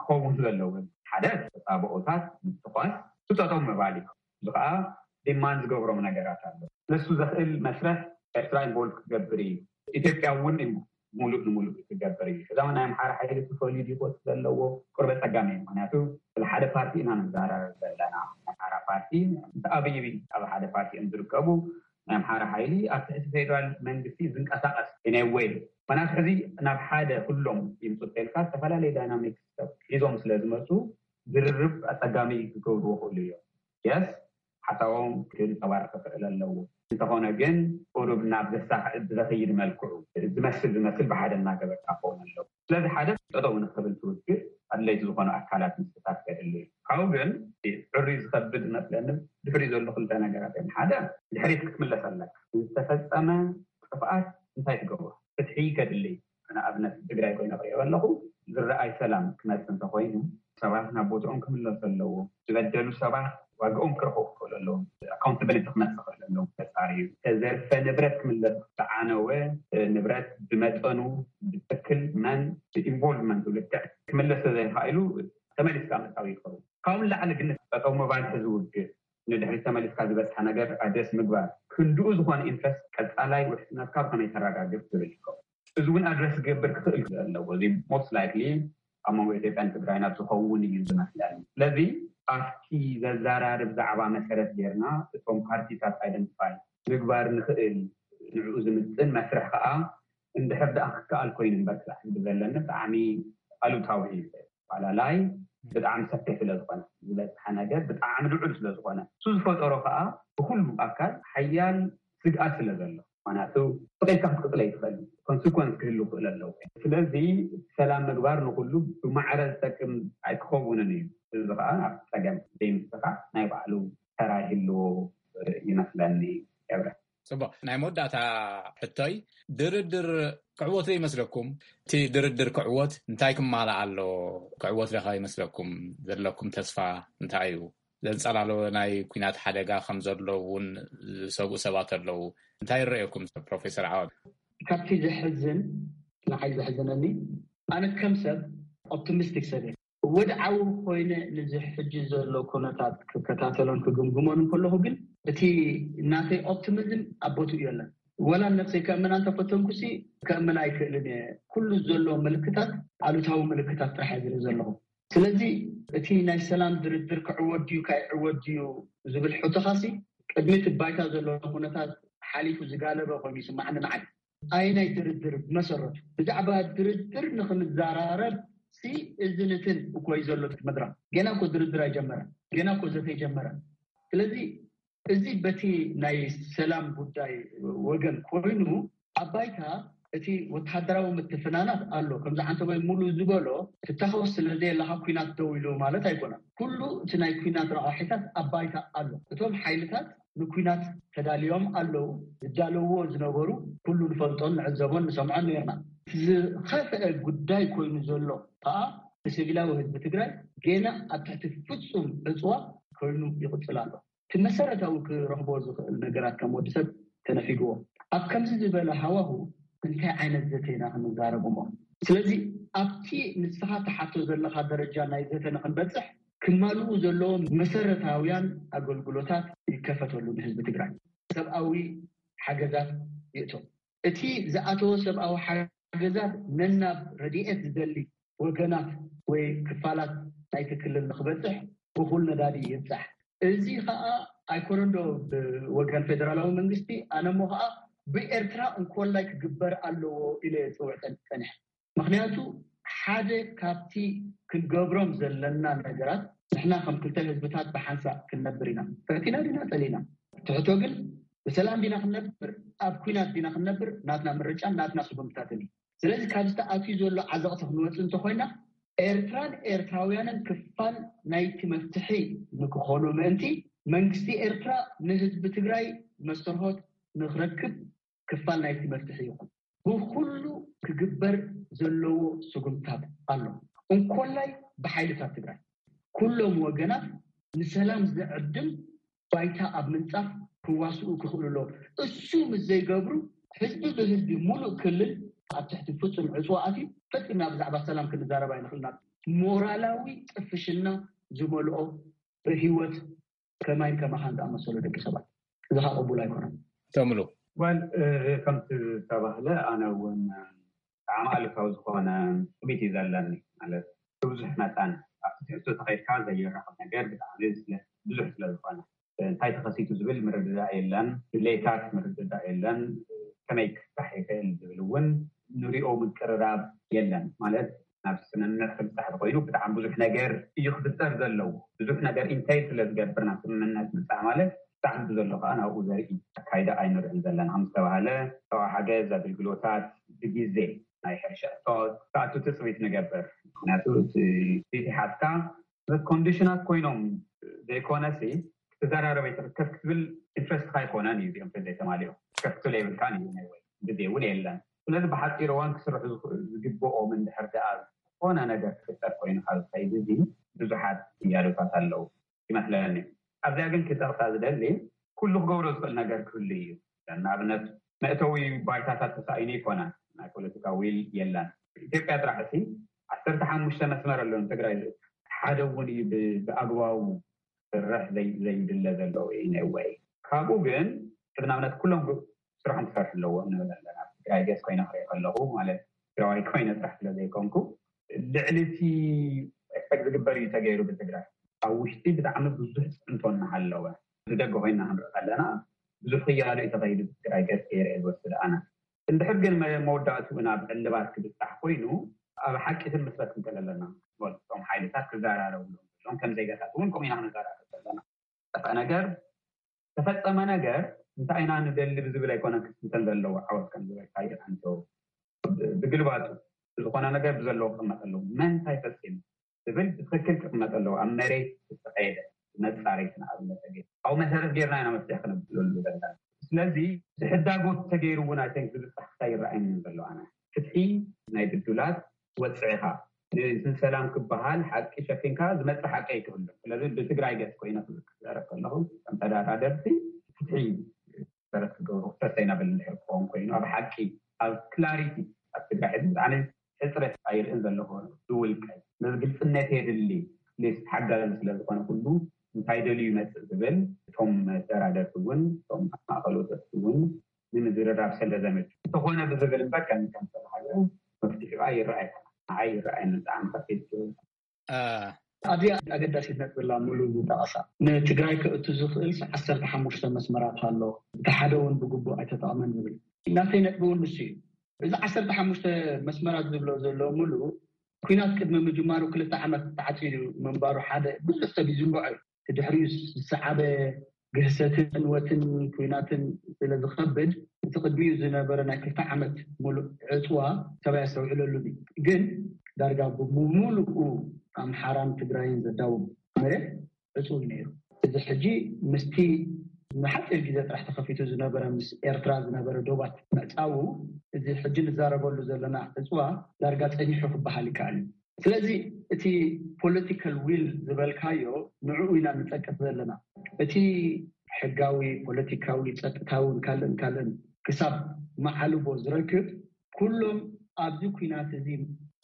ክኸውን ዘለዎ። ሓደ ተጻብኦታት ምትኳስ፣ ስጠጦም ምባል እዩ። እዚ ከዓ ዲማንድ ዝገብሮም ነገራት ኣሎ። ነሱ ዘኽእል መስርሕ ኤርትራ ኢንቮልቭ ክገብር እዩ። ኢትዮጵያ እውን ሙሉእ ንሙሉእ ክገብር እዩ። ከዛ ናይ ኣምሓራ ሓይሊ ክፈልዩ ድዩ ክወስድ ዘለዎ ቁርበ ጸጋም እዩ። ምክንያቱ ስለ ሓደ ፓርቲ ኢና ንዛረብ ዘለና። ኣምሓራ ፓርቲ ምስ ኣብይ ኣብ ሓደ ፓርቲ እዮም ዝርከቡ። ናይ ኣምሓራ ሓይሊ ኣብ ትሕቲ ፌደራል መንግስቲ ዝንቀሳቐስ ኢነወይ ኮናት ሕዚ ናብ ሓደ ኩሎም ይምፁ ተልካ ዝተፈላለዩ ዳይናሚክስ ሒዞም ስለ ዝመፁ ዝርርብ ኣፀጋሚ ክገብርዎ ክእሉ እዮም። የስ ሓሳቦም ክንፀባረቕ ክኽእል ኣለዎ። እንተኾነ ግን ቁሩብ ናብ ዘሳኽዕብ ብዘኽይድ መልክዑ ዝመስል ዝመስል ብሓደ እናገበርካ ክኸውን ኣለዎ። ስለዚ ሓደ ጠጠው ንክብል ትውግእ ኣድለይቲ ዝኾኑ ኣካላት ምስታት ከድሊ እዩ። ካብኡ ግን ዕሩይ ዝኸብድ መስለኒ ድሕሪ ዘሎ ክልተ ነገራት እዮም። ሓደ ድሕሪት ክትምለስ ኣለካ። ዝተፈጸመ ጥፍኣት እንታይ ትገብሮ? ፍትሒ ከድሊ እዩ። ንኣብነት ትግራይ ኮይነ ክሪኦ ኣለኹ ዝረኣይ ሰላም ክመፅእ እንተኮይኑ ሰባት ናብ ቦትኦም ክምለሱ ኣለዎም። ዝበደሉ ሰባት ዋግኦም ክረኽቡ ክኽእሉ ኣለዎም። ኣካውንታብሊቲ ክመፅእ ክኽእል ኣለዎም። ተፃርዩ ተዘርፈ ንብረት ክምለስ ዝዓነወ ንብረት ብመጠኑ ብትክክል መን ብኢንቮልቭመንት ልክዕ ክምለስ ተዘይኽኢሉ ተመሊስካ ምእታው ይኸውን። ካብኡ ንላዕሊ ግን ጠጠው ምባል ሕዚ ውግእ ንድሕሪት ተመሊስካ ዝበፅሐ ነገር ኣድረስ ምግባር ክንድኡ ዝኾነ ኢንትረስት ቀፃላይ ውሕስነትካ ብኸመይ ተረጋግፅ ዝብል ይኸውን። እዚ እውን ኣድረስ ክገብር ክኽእል ኣለዎ። እዚ ሞስት ላይክሊ ኣብ መንጎ ኢትዮጵያን ትግራይን ኣብ ዝኸውን እዩ ዝመስለኒ። ስለዚ ኣብቲ ዘዘራርብ ዛዕባ መሰረት ጌርና እቶም ፓርቲታት ኣይደንቲፋይ ምግባር ንኽእል ንዕኡ ዝምጥን መስርሕ ከዓ እንድሕር ደኣ ክከኣል ኮይኑ እምበር ክሳዕ ሕዚ ብዘለኒ ብጣዕሚ ኣሉታዊ እዩ። ኣፈላላይ ብጣዕሚ ሰፊሕ ስለ ዝኾነ ዝበፅሐ ነገር ብጣዕሚ ልዑል ስለ ዝኾነ እሱ ዝፈጠሮ ከዓ ብኩሉ ኣካል ሓያል ስግኣት ስለ ዘሎ ምክንያቱ ስቕ ኢልካ ክትቅፅል ኣይትኽእል። ኮንስኮንስ ክህሉ ክእል ኣለዎ። ስለዚ ሰላም ምግባር ንኩሉ ብማዕረ ዝጠቅም ኣይክኸውንን እዩ። እዚ ከዓ ኣብ ፀገም ዘይምስኻ ናይ ባዕሉ ተራ ይህልዎ ይመስለኒ። ገብረ ፅቡቅ ናይ መወዳእታ ሕቶይ ድርድር ክዕወት ዶ ይመስለኩም? እቲ ድርድር ክዕወት እንታይ ክማላእ ኣለዎ? ክዕወት ዶ ይመስለኩም? ዘለኩም ተስፋ እንታይ እዩ? ዘንፀላሎ ናይ ኩናት ሓደጋ ከም ዘሎ እውን ዝሰግኡ ሰባት ኣለዉ። እንታይ ይረአየኩም ፕሮፌሰር ዓዋን? ካብቲ ዘሕዝን ንዓይ ዘሕዝነኒ ኣነ ከም ሰብ ኦፕቲሚስቲክ ሰብ እየ። ወድዓዊ ኮይነ ንዚ ሕጂ ዘሎ ኩነታት ክከታተሎን ክግምግሞን እንከለኹ ግን እቲ ናተይ ኦፕቲሚዝም ኣብ ቦትኡ የለን። ወላ ነብሰይ ከእምና እንተፈተንኩሲ ከእምና ኣይክእልን እየ። ኩሉ ዘሎ ምልክታት ኣሉታዊ ምልክታት ጥራሕ እየ ዝርኢ ዘለኹ። ስለዚ እቲ ናይ ሰላም ድርድር ክዕወት ድዩ ካይዕወት ድዩ ዝብል ሕቶኻሲ ቅድሚ እቲ ባይታ ዘሎ ኩነታት ሓሊፉ ዝጋለበ ኮይኑ ይስማዓኒ። ንዓይ ኣየናይ ድርድር ብመሰረቱ ብዛዕባ ድርድር ንክንዘራረብ ሲ እዚ ንትን እኮ እዩ ዘሎ መድረኽ። ገና እኮ ድርድር ኣይጀመረን። ገና እኮ ዘተ ኣይጀመረን። ስለዚ እዚ በቲ ናይ ሰላም ጉዳይ ወገን ኮይኑ ኣብ ባይታ እቲ ወተሃደራዊ ምትፍናናት ኣሎ። ከምዚ ዓንተቦይ ሙሉ ዝበሎ ትታኮስ ስለዘየለ ካብ ኩናት ደው ኢሉ ማለት ኣይኮነን። ኩሉ እቲ ናይ ኩናት ረቋሒታት ኣብ ባይታ ኣሎ። እቶም ሓይልታት ንኩናት ተዳልዮም ኣለዉ። ዝዳለውዎ ዝነበሩ ኩሉ ንፈልጦን ንዕዘቦን ንሰምዖን ነርና። ዝኸፍአ ጉዳይ ኮይኑ ዘሎ ከዓ ንሲቪላዊ ህዝቢ ትግራይ ገና ኣብ ትሕቲ ፍፁም ዕፅዋ ኮይኑ ይቕፅል ኣሎ። እቲ መሰረታዊ ክረኽቦ ዝኽእል ነገራት ከም ወዲ ሰብ ተነፊግዎ። ኣብ ከምዚ ዝበለ ሃዋሁ እንታይ ዓይነት ዘተ ኢና ክንዛረብ እሞ? ስለዚ ኣብቲ ንስኻ ትሓቶ ዘለኻ ደረጃ ናይ ዘተ ንክንበፅሕ ክማልኡ ዘለዎም መሰረታውያን ኣገልግሎታት ይከፈተሉ ንህዝቢ ትግራይ። ሰብኣዊ ሓገዛት ይእቶ። እቲ ዝኣተወ ሰብኣዊ ሓገዛት ነናብ ረድኤት ዝደሊ ወገናት ወይ ክፋላት ናይቲ ክልል ንክበፅሕ እኹል ነዳዲ ይብፃሕ። እዚ ከዓ ኣይኮነን ዶ ብወገን ፌደራላዊ መንግስቲ ኣነ እሞ ከዓ ብኤርትራ እንኮላይ ክግበር ኣለዎ ኢለ እየ ዝፅውዕ ፀኒሐ። ምክንያቱ ሓደ ካብቲ ክንገብሮም ዘለና ነገራት ንሕና ከም ክልተ ህዝብታት ብሓንሳእ ክንነብር ኢና። ፈቲና ዲና ፀሊና ትሕቶ ግን ብሰላም ዲና ክንነብር ኣብ ኩናት ዲና ክንነብር ናትና ምርጫን ናትና ስጉምትታትን እዩ። ስለዚ ካብዚ ተኣትዩ ዘሎ ዓዘቕቲ ክንወፅእ እንተኮይና ኤርትራን ኤርትራውያንን ክፋል ናይቲ መፍትሒ ንክኾኑ ምእንቲ መንግስቲ ኤርትራ ንህዝቢ ትግራይ መስተርሆት ንክረክብ ክፋል ናይቲ መፍትሒ ይኹን። ብኩሉ ክግበር ዘለዎ ስጉምታት ኣሎ። እንኮላይ ብሓይልታት ትግራይ ኩሎም ወገናት ንሰላም ዝዕድም ባይታ ኣብ ምንፃፍ ክዋስኡ ክኽእሉ ኣለዎ። እሱ ምስ ዘይገብሩ ህዝቢ ብህዝቢ ሙሉእ ክልል ኣብ ትሕቲ ፍፁም ዕፅዋ ኣትዩ ፈፂምና ብዛዕባ ሰላም ክንዛረብ ኣይንኽእልና። ሞራላዊ ጥፍሽና ዝመልኦ ብህይወት ከማይን ከማኻን ዝኣመሰሉ ደቂ ሰባት እዚ ከዓ ቅቡል ኣይኮነን። ተምሉ ወል ከምቲ ዝተባህለ ኣነ እውን ብጣዕሚ ኣሉታዊ ዝኾነ ትዕቢት እዩ ዘለኒ። ማለት ብብዙሕ መጠን ኣብቲ ትሕዝቶ ተኸይድካ ዘይራኸብ ነገር ብጣዕሚ ስለ ብዙሕ ስለ ዝኾነ። እንታይ ተኸሲቱ ዝብል ምርድዳእ የለን፣ ድሌታት ምርድዳእ የለን፣ ከመይ ክፍታሕ ይኽእል ዝብል እውን ንሪኦ ምቅርራብ የለን። ማለት ናብ ስምምዕ ክብፃሕ ተኮይኑ ብጣዕሚ ብዙሕ ነገር እዩ ክፍጠር ዘለዎ። ብዙሕ ነገር ኢንቴል ስለ ዝገብር ናብ ስምምዕነት ምብፃሕ ማለት ብጣዕሚ ብዘሎ ከዓ ናብኡ ዘርኢ ኣካይዳ ኣይንርዕን ዘለና ምስ ተባሃለ ሰብኣዊ ሓገዝ ኣገልግሎታት ብግዜ ናይ ሕርሻ እቶት ክኣቱ ትፅቢት ንገብር። ምክንያቱ እቲ ቤት ሓትካ ኮንዲሽናት ኮይኖም ዘይኮነሲ ክትዘራረበ ይትርከብ ክትብል ኢንትረስትካ ኣይኮነን እዩ። እዚኦም ተዘይተማሊኦም ከፍትሎ የብልካን እዩ ናይ ወይ ግዜ እውን የለን። ስለዚ ብሓፂር እዋን ክስርሑ ዝግብኦም እንድሕር ደኣ ዝኾነ ነገር ክፍጠር ኮይኑ ካብ ዝኸይድ እዚ ብዙሓት እያሉታት ኣለዉ ይመስለኒ። ኣብዚኣ ግን ክጠቕሳ ዝደሊ ኩሉ ክገብሮ ዝኽእል ነገር ክህሉ እዩ። ንኣብነት መእተዊ ባይታታት ተሳኢኑ ይኮና ናይ ፖለቲካ ዊል የለን። ኢትዮጵያ ጥራሕ ሲ ዓሰርተ ሓሙሽተ መስመር ኣለዎ ንትግራይ ሓደ እውን እዩ ብኣግባቡ ክሰርሕ ዘይድለ ዘሎ ወይ ነወይ ካብኡ ግን ቅድናምነት ኩሎም ስራሖም ክሰርሑ ኣለዎም ንብል ኣለና። ትግራይ ገስ ኮይነ ክርኢ ከለኹ ማለት ትግራዋይ ኮይነ ጥራሕ ስለ ዘይኮንኩ ልዕሊ እቲ ኤክስፐክት ዝግበር እዩ ተገይሩ ብትግራይ ኣብ ውሽጢ ብጣዕሚ ብዙሕ ፅዕንቶ እናሃለወ ብደገ ኮይና ክንርኢ ከለና ብዙሕ ክያዶ እዩ ተኸይዱ ብትግራይ ገስ ገይረ እየ ዝወስድ ኣነ። እንድሕር ግን መወዳእትኡ ናብ ዕልባት ክብፃሕ ኮይኑ ኣብ ሓቂ ክንምስረት ክንክእል ኣለና። እቶም ሓይልታት ክዘራረቡ ሎም ከም ዜጋታት እውን ከምኡ ኢና ክንዘራረብ ዘለና። ጠፍአ ነገር ተፈፀመ ነገር እንታይ ኢና ንደሊ ብዝብል ኣይኮነ ክስተንተን ዘለዎ ዓወት ከም ዝበልካዮ ኣንቶ ብግልባጡ ዝኾነ ነገር ብዘለዎ ክቕመጥ ኣለዎ። መን እንታይ ፈፂሙ ዝብል ብትክክል ክቕመጥ ኣለዎ። ኣብ መሬት ዝተኸየደ መፃረይቲ ንኣብነት ተገይሩ ኣብኡ መሰረት ጌርና ኢና መፍትሒ ክነብለሉ ዘለና። ስለዚ ዝሕዳጎት ተገይሩ እውን ኣይተን ዝብፃሕ ክታይ ይረኣየኒ ዘሎ ኣነ ፍትሒ ናይ ብዱላት ወፅዕኻ ንዝን ሰላም ክበሃል ሓቂ ሸፊንካ ዝመፅእ ሓቂ ኣይክህሉ። ስለዚ ብትግራይ ገፅ ኮይነ ክዛረብ ከለኹ ከም ተዳራደርቲ ፍትሒ መሰረት ክገብሩ ሰስተይናብል እንድሕር ክኸውን ኮይኑ ኣብ ሓቂ ኣብ ክላሪቲ ኣብ ትግራይ ሕዚ ብጣዕሚ ሕፅረት ኣይርእን ዘለኹ ዝውልቀይ ነዚ ግልፅነት የድሊ ሊስ ሓጋዚ ስለ ዝኾነ ኩሉ እንታይ ደልዩ ይመፅእ ዝብል እቶም መደራደርቲ እውን እቶም ማእኸሎት እውን ንምዝርራብ ስለ ዘመች እንተኾነ ብዝብል እምበር ከም ከም ዝተባሃለ መፍትሒኡ ኣይረኣየካ ንዓይ ይረኣየኒ ብጣዕሚ ከፊት ዝብል ኣብዚኣ ኣገዳሲት ነጥቢ ኣላ ሙሉ ዝጠቐሳ ንትግራይ ከእቱ ዝኽእል ዓሰርተ ሓሙሽተ መስመራት ኣሎ እቲ ሓደ እውን ብግቡእ ኣይተጠቕመን ዝብል ናተይ ነጥቢ እውን ንሱ እዩ እዚ ዓሰርተ ሓሙሽተ መስመራት ዝብሎ ዘሎ ሙሉ ኩናት ቅድሚ ምጅማሩ ክልተ ዓመት ተዓፂዱ ምንባሩ ሓደ ብዙሕ ሰብ ይዝንግዖ እዩ ድሕሪኡ ዝሰዓበ ግህሰትን ዕንወትን ኩናትን ስለ ዝኸብድ እቲ ቅድሚኡ ዝነበረ ናይ ክልተ ዓመት ሙሉእ ዕፅዋ ሰብ ኣየስተውዕለሉን እዩ ግን ዳርጋ ብምሉኡ ኣምሓራን ትግራይን ዘዳውብ መሬት ዕፁው እዩ ነይሩ እዚ ሕጂ ምስቲ ንሓፂር ግዜ ጥራሕ ተኸፊቱ ዝነበረ ምስ ኤርትራ ዝነበረ ዶባት ምዕፃዉ እዚ ሕጂ ንዛረበሉ ዘለና ዕፅዋ ዳርጋ ፀኒሑ ክበሃል ይከኣል እዩ ስለዚ እቲ political will ዝበልካዮ ንዕኡ ኢና ንፀቅጥ ዘለና እቲ ሕጋዊ ፖለቲካዊ ፀጥታውን ካልእን ካልእን ክሳብ መዓልቦ ዝረክብ ኩሎም ኣብዚ ኩናት እዚ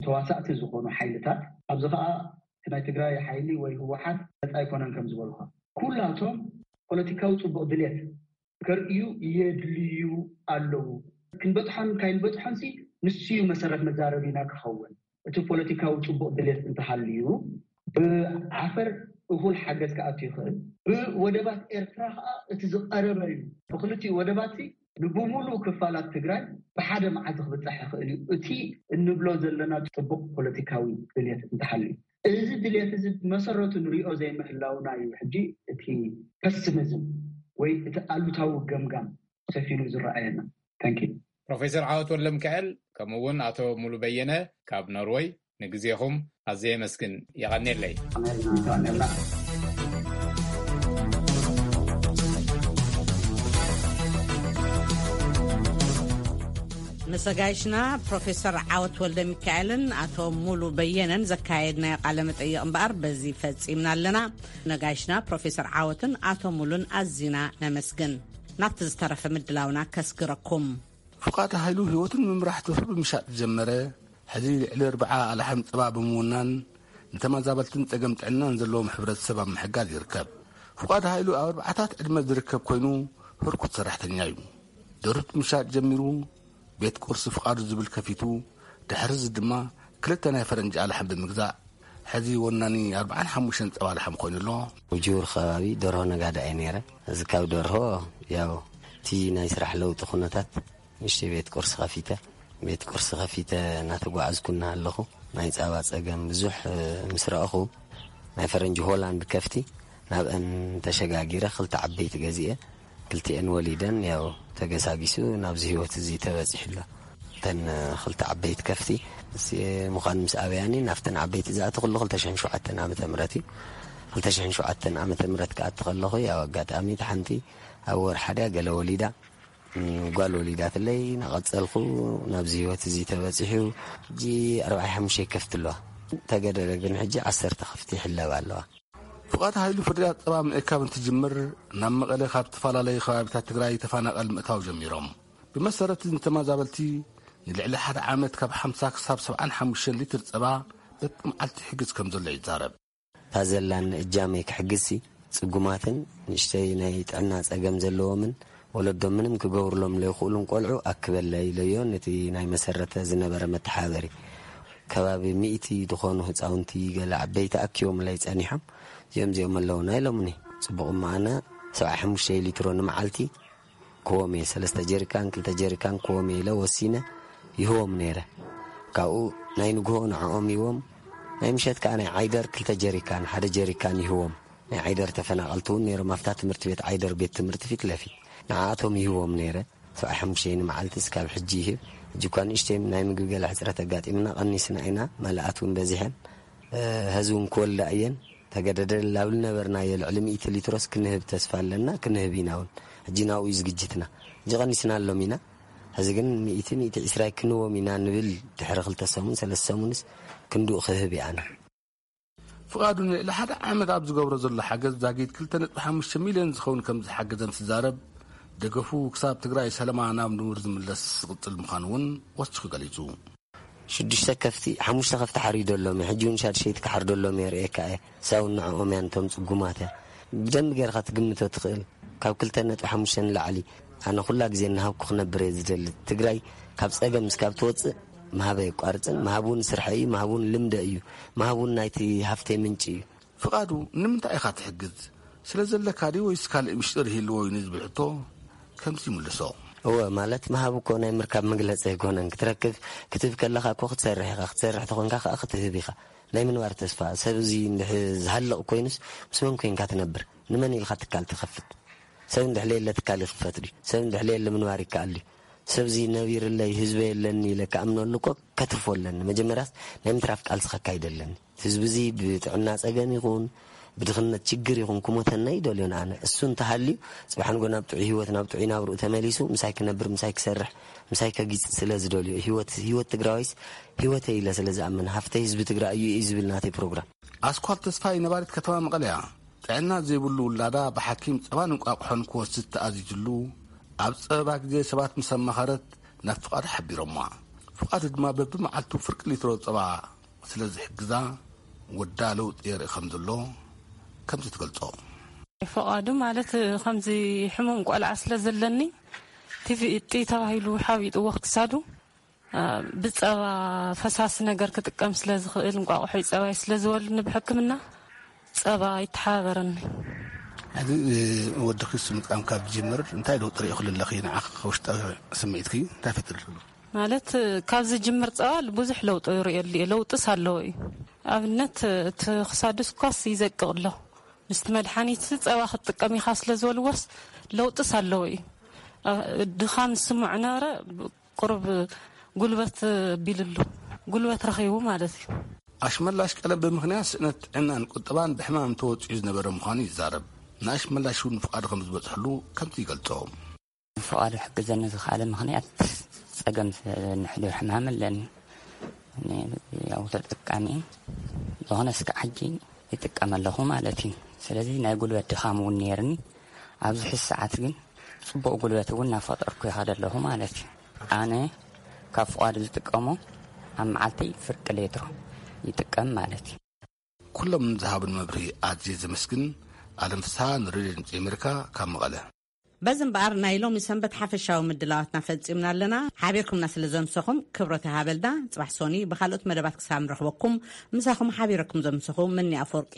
ተዋሳእቲ ዝኾኑ ሓይልታት ኣብዚ ከዓ እቲ ናይ ትግራይ ሓይሊ ወይ ህወሓት ነፃ ኣይኮነን ከም ዝበልኳ ኩላቶም ፖለቲካዊ ፅቡቅ ድሌት ከርእዩ የድልዩ ኣለዉ ክንበፅሖን ካይንበፅሖን ሲ ንስዩ መሰረት መዛረቢና ክኸውን እቲ ፖለቲካዊ ፅቡቅ ድሌት እንተሃልዩ ብዓፈር እኹል ሓገዝ ክኣቱ ይኽእል ብወደባት ኤርትራ ከዓ እቲ ዝቀረበ እዩ ብክልቲኡ ወደባት ንብሙሉእ ክፋላት ትግራይ ብሓደ መዓልቲ ክብፃሕ ይኽእል እዩ እቲ እንብሎ ዘለና ፅቡቅ ፖለቲካዊ ድልየት እንተሃልዩ እዚ ድልየት እዚ ብመሰረቱ ንሪኦ ዘይምህላውና እዩ ሕጂ እቲ ፐስሚዝም ወይ እቲ ኣሉታዊ ገምጋም ሰፊኑ ዝረኣየና። Thank you። ፕሮፌሰር ዓወት ወልደምክኤል ከምኡ እውን ኣቶ ሙሉ በየነ ካብ ኖርወይ ንግዜኹም ኣዝየ የመስግን። የቐንየለይ። ምስ ኣጋይሽና ፕሮፌሰር ዓወት ወልደሚካኤልን ኣቶ ሙሉ በየነን ዘካየድናዮ ቃለ መጠይቕ እምበኣር በዚ ፈጺምና ኣለና። ነጋይሽና ፕሮፌሰር ዓወትን ኣቶ ሙሉን ኣዚና ነመስግን። ናብቲ ዝተረፈ ምድላውና ከስግረኩም። ፍቓድ ሃይሉ ህይወቱ ንምምራሕ ትብህር ብምሻጥ ዝጀመረ፣ ሕዚ ልዕሊ ኣርብዓ ኣላሕም ጸባ ብምውናን ንተመዛበልትን ጸገም ጥዕናን ዘለዎም ሕብረተሰብ ኣብ ምሕጋዝ ይርከብ። ፍቓድ ሃይሉ ኣብ ኣርብዓታት ዕድመ ዝርከብ ኮይኑ ህርኩት ሰራሕተኛ እዩ። ደርሁት ምሻጥ ጀሚሩ ቤት ቁርሲ ፍቓዱ ዝብል ከፊቱ፣ ድሕሪ እዚ ድማ ክልተ ናይ ፈረንጂ ኣላሕም ብምግዛእ ሕዚ ወናኒ ኣርባዓን ሓሙሽተን ጸባ ላሕሚ ኮይኑ ኣሎ። ውጅውር ከባቢ ደርሆ ነጋዳ እየ ነይረ። እዚ ካብ ደርሆ ያው እቲ ናይ ስራሕ ለውጢ ኩነታት ንእሽተይ ቤት ቁርሲ ከፊተ፣ ቤት ቁርሲ ከፊተ እናተጓዓዝኩ እናሃለኹ ናይ ጻባ ጸገም ብዙሕ ምስ ረኣኹ ናይ ፈረንጂ ሆላንድ ከፍቲ ናብአን ተሸጋጊረ ክልተ ዓበይቲ ገዚኤ ክልቲኤን ወሊደን ያው ተገሳጊሱ ናብዚ ህይወት እዚ ተበጺሑ ኣሎ። እተን ክልተ ዓበይቲ ከፍቲ ምስ ምዃን ምስ ኣበያኒ ናብተን ዓበይቲ ዝኣተኹሉ ክልተ ሽሕን ሸውዓተን ዓመተ ምህረት እዩ። ክልተ ሽሕን ሸውዓተን ዓመተ ምህረት ክኣቲ ከለኹ ያው ኣጋጣሚ እታ ሓንቲ ኣብ ወርሓ ድያ ገለ ወሊዳ ጓል ወሊዳትለይ ናቐጸልኩ ናብዚ ህይወት እዚ ተበጺሑ ሕጂ ኣርባዓ ሓሙሽተ ከፍቲ ኣለዋ። ተገደደ ግን ሕጂ ዓሰርተ ከፍቲ ይሕለባ ኣለዋ። ፍቓድ ሃይሉ ፍርያት ጸባ ምእካብ እንትጅምር ናብ መቐለ ካብ ዝተፈላለዩ ከባቢታት ትግራይ ተፈናቐል ምእታው ጀሚሮም። ብመሰረት ንተመዛበልቲ ንልዕሊ ሓደ ዓመት ካብ ሓምሳ ክሳብ ሰብዓን ሓሙሽተን ሊትር ጸባ በብመዓልቲ ይሕግዝ ከም ዘሎ ይዛረብ። እታ ዘላኒ እጃመይ ክሕግዝሲ ጽጉማትን ንእሽተይ ናይ ጥዕና ጸገም ዘለዎምን ወለዶም ምንም ክገብርሎም ለይኽእሉን ቆልዑ ኣክበለይ ኢለዮ። ነቲ ናይ መሰረተ ዝነበረ መተሓበሪ ከባቢ ሚእቲ ዝኾኑ ህፃውንቲ ገለ ዓበይቲ ኣኪቦምለይ ጸኒሖም። እዚኦም እዚኦም ኣለውና ኢሎምኒ። ጽቡቕ እሞ ኣነ ሰብዓ ሓሙሽተ ሊትሮ ንመዓልቲ ክዎም እየ። ሰለስተ ጀሪካን ክልተ ጀሪካን ክዎም እየ ኢለ ወሲነ ይህቦም ነይረ። ካብኡ ናይ ንግሆ ንዕኦም ይዎም ናይ ምሸት ከዓ ናይ ዓይደር ክልተ ጀሪካን ሓደ ጀሪካን ይህቦም። ናይ ዓይደር ተፈናቐልቲ እውን ነይሮም ኣብታ ትምህርቲ ቤት ዓይደር ቤት ትምህርቲ ፊት ለፊት ንዓኣቶም ይህቦም ነይረ። ሰብዓ ሓሙሽተ መዓልቲ እስካብ ሕጂ ይህብ። ሕጂ እኳ ንእሽተይ ናይ ምግቢ ገለ ሕፅረት ኣጋጢምና ቀኒስና ኢና። መላኣት እውን በዚሐን ህዝቢ እውን ክወልዳ እየን። ተገደደን ላብል ነበርናዮ ልዕሊ ሚእቲ ሊትሮስ ክንህብ ተስፋ ኣለና ክንህብ ኢና እውን። ሕጂ ናብኡ እዩ ዝግጅትና። ሕጂ ቀኒስና ኣሎም ኢና። ሕዚ ግን ሚእቲ ሚእቲ ዕስራ ክንዎም ኢና ንብል። ድሕሪ ክልተ ሰሙን ሰለስተ ሰሙንስ ክንድኡ ክህብ እየ ኣነ። ፍቓዱ ንልዕሊ ሓደ ዓመት ኣብ ዝገብሮ ዘሎ ሓገዝ ዛጊድ ክልተ ነጥቢ ሓሙሽተ ሚልዮን ዝኸውን ከም ዝሓገዘ እንትዛረብ፣ ደገፉ ክሳብ ትግራይ ሰለማ ናብ ንቡር ዝምለስ ዝቕጽል ምዃኑ እውን ወሲኹ ገሊጹ። ሽዱሽተ ከፍቲ ሓሙሽተ ከፍቲ ሓሪዶ ኣሎም ሕጂ እውን ሻድሸይቲ ክሓርዶ ኣሎም የርእየካ እየ። ሳውን ንዕኦም እያ ነቶም ጽጉማት እያ። ብደንቢ ጌርካ ትግምቶ ትኽእል። ካብ ክልተ ነጥቢ ሓሙሽተ ንላዕሊ። ኣነ ኩላ ግዜ እናሃብኩ ክነብር እየ ዝደሊ። ትግራይ ካብ ጸገም እስካብ ትወጽእ ምሃብ ኣየቋርጽን። ምሃብ እውን ስርሐ እዩ። ምሃብ እውን ልምደ እዩ። ምሃብ እውን ናይቲ ሃፍተይ ምንጪ እዩ። ፍቓዱ ንምንታይ ኢኻ ትሕግዝ? ስለ ዘለካ ድዩ ወይስ ካልእ ምሽጥር ይህልዎ እዩ ንዝብል ሕቶ ከምዚ ይምልሶ። እወ፣ ማለት ምሃብ እኮ ናይ ምርካብ መግለጺ ኣይኮነን። ክትረክብ ክትህብ ከለኻ እኮ ክትሰርሕ ኢኻ። ክትሰርሕ ተኾንካ ከዓ ክትህብ ኢኻ። ናይ ምንባር ተስፋ ሰብ እዚ እንድሕ ዝሃልቕ ኮይኑስ ምስ መን ኮይንካ ትነብር? ንመን ኢልካ ትካል ትኸፍት? ሰብ እንድሕ ለየለ ትካል ይኽፈት ድዩ? ሰብ እንድሕ ለየለ ምንባር ይከኣል ድዩ? ሰብ እዚ ነቢርለይ ህዝበይ የለኒ ኢለ ክኣምነሉ እኮ ከትርፎ ኣለኒ። መጀመርያስ ናይ ምትራፍ ቃልሲ ከካይድ ኣለኒ። ህዝቢ እዚ ብጥዕና ጸገም ይኹን ብድኽነት ችግር ይኹን ክሞተና ይደልዮን ኣነ። እሱ እንተሃልዩ ጽባሕ ንጎ ናብ ጥዑይ ህይወት ናብ ጥዑይ ናብርኡ ተመሊሱ ምሳይ ክነብር ምሳይ ክሰርሕ ምሳይ ከጊጽ ስለ ዝደልዮ ህይወት ህይወት ትግራዋይስ ህይወተይ ኢለ ስለ ዝኣምን ሃፍተይ ህዝቢ ትግራይ እዩ እዩ ዝብል ናተይ ፕሮግራም። ኣስኳል ተስፋይ ነባሪት ከተማ መቐለያ ጥዕና ዘይብሉ ውላዳ ብሓኪም ጸባን እንቋቑሖን ክወስድ ተኣዚዙሉ ኣብ ጸበባ ግዜ ሰባት ምስ ኣማኸረት ናብ ፍቓድ ሓቢሮማ። ፍቓድ ድማ በብመዓልቱ ፍርቂ ሊትሮ ጸባ ስለ ዝሕግዛ ወዳ ለውጢ የርኢ ከም ዘሎ ከምዚ ትገልጾ። ፍቓዱ ማለት ከምዚ ሕሙም ቆልዓ ስለ ዘለኒ ቲቪ እጢ ተባሂሉ ሓቢጥዎ ክሳዱ ብጸባ ፈሳሲ ነገር ክጥቀም ስለ ዝኽእል እንቋቑሖ ጸባይ ስለ ዝወልኒ ብሕክምና ጸባ ይተሓባበረኒ። ሕዚ ወዲ ክስ ምጥቃም ካብ ዝጀምር እንታይ ለውጢ ርኢ ክልለኺ ንዓኺ ውሽጣዊ ስምዒትኪ እንታይ ፈጥር? ማለት ካብ ዝጅምር ጸባ ብዙሕ ለውጢ ይርእየሉ እየ። ለውጥስ ኣለዎ እዩ። ኣብነት እቲ ክሳዱስ ኳስ ይዘቅቕ ኣሎ። ምስቲ መድሓኒት ጸባ ክትጥቀም ኢኻ ስለ ዝበልዎስ ለውጥስ ኣለዎ እዩ። ድኻም ዝስምዖ ነበረ። ቁሩብ ጉልበት ቢልሉ ጉልበት ረኺቡ ማለት እዩ። ኣሽመላሽ ቀለም ብምኽንያት ስእነት ጥዕናን ቁጠባን ብሕማም ተወጺዑ ዝነበረ ምዃኑ ይዛረብ። ንኣሽመላሽ እውን ፍቓዱ ከም ዝበጽሐሉ ከምዚ ይገልጾ። ፍቓዱ ሕግዘኒ ዝኽኣለ ምኽንያት ጸገም ንሕዱር ሕማም ኣለኒ። ያው ተጠቃሚ ዝኾነ እስከ ሕጂ ይጥቀም ኣለኹ ማለት እዩ። ስለዚ ናይ ጉልበት ድኻም እውን ነይርኒ። ኣብዚ ሕዚ ሰዓት ግን ጽቡቕ ጉልበት እውን እናፈጠርኩ ይኸደ ኣለኹ ማለት እዩ። ኣነ ካብ ፍቓዱ ዝጥቀሞ ኣብ መዓልቲ ፍርቂ ሌትሮ ይጥቀም ማለት እዩ። ኩሎም ንዝሃቡን መብርሂ ኣዝየ ዘመስግን። ኣለም ፍስሃ ንሬድዮ ድምፂ ኣሜሪካ ካብ መቐለ። በዚ እምበኣር ናይ ሎሚ ሰንበት ሓፈሻዊ ምድላዋትና ፈጺምና ኣለና። ሓቢርኩምና ስለ ዘምሰኹም ክብረት ይሃበልና። ጽባሕ ሶኒ ብኻልኦት መደባት ክሳብ ንረኽበኩም፣ ምሳኹም ሓቢረኩም ዘምሰኹ ምኒ ኣፈወርቂ።